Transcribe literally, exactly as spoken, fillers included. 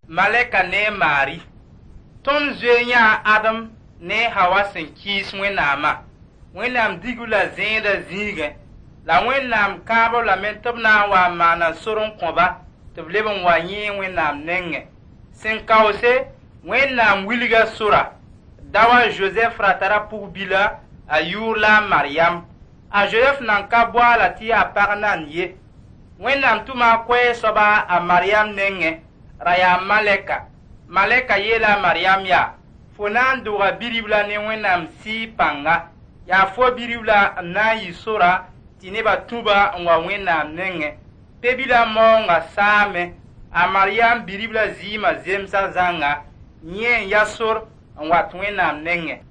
Malɛka ne a Maari. Tõnd zoe yãa Adem ne a Hawa sẽn kɩɩs Wẽnnaamã. Wẽnnaam dig-b la zẽedã zĩigẽ. La Wẽnnaam kãab-b lame tɩ b na n wa n maana sor n kõ-ba tɩ b leb n wa yẽe Wẽnnaam nengẽ. Sẽn kaoose, Wẽnnaam wilga sora. Daoã Zozɛf ra tara pug-bila, a yʋʋr la a Maryam. A Zozɛf nan ka boaala tɩ yaa pag nan ye. Wẽnnaam tʋma a koɛɛg soaba a Maryam nengẽ, ra yaa malɛka. Malɛka yeela a Maryam yaa: fo na n dʋga bi-ribla ne Wẽnnaam Sɩɩg pãnga. Yaa fo bi-ribla n na n yɩ sora tɩ nebã tũ-ba n wa Wẽnnaam nengẽ. Pe-bilã maoongã saame. A Maryam bi-ribla zɩɩmã zemsa zãnga, yẽ n ya sor n wat Wẽnnaam nengẽ.